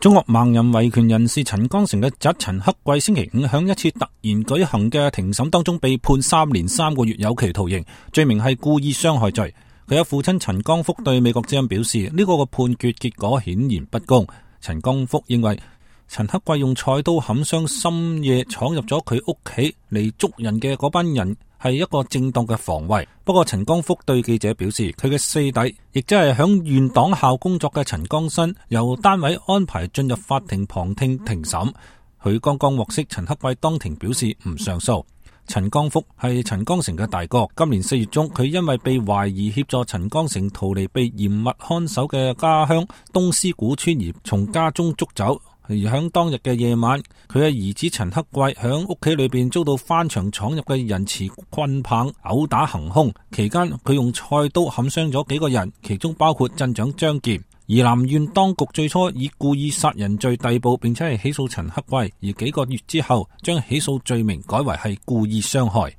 中國盲人維權人士陳光誠嘅侄陳克貴星期五響一次突然舉行嘅庭審當中被判3年3個月有期徒刑，罪名係故意傷害罪。佢嘅父親陳光福對美國之音表示，呢個嘅判決結果顯然不公。陳光福認為陳克貴用菜刀砍傷深夜闖入咗佢屋企嚟捉人嘅嗰班人係一個正當嘅防衛。不過陳光福對記者表示，佢嘅四弟，亦即係響縣黨校工作嘅陳光新，由單位安排進入法庭旁聽庭審。佢剛剛獲悉陳克貴當庭表示唔上訴。陳光福係陳光誠嘅大哥，今年4月中，佢因為被懷疑協助陳光誠逃離被嚴密看守嘅家鄉東獅古村而從家中捉走。而響當日嘅夜晚，佢嘅兒子陳克貴響屋企裏邊遭到翻牆闖入嘅人持棍棒毆打行兇，期間佢用菜刀砍傷咗幾個人，其中包括鎮長張劍。宜蘭縣當局最初以故意殺人罪逮捕，並且係起訴陳克貴，而幾個月之後將起訴罪名改為係故意傷害。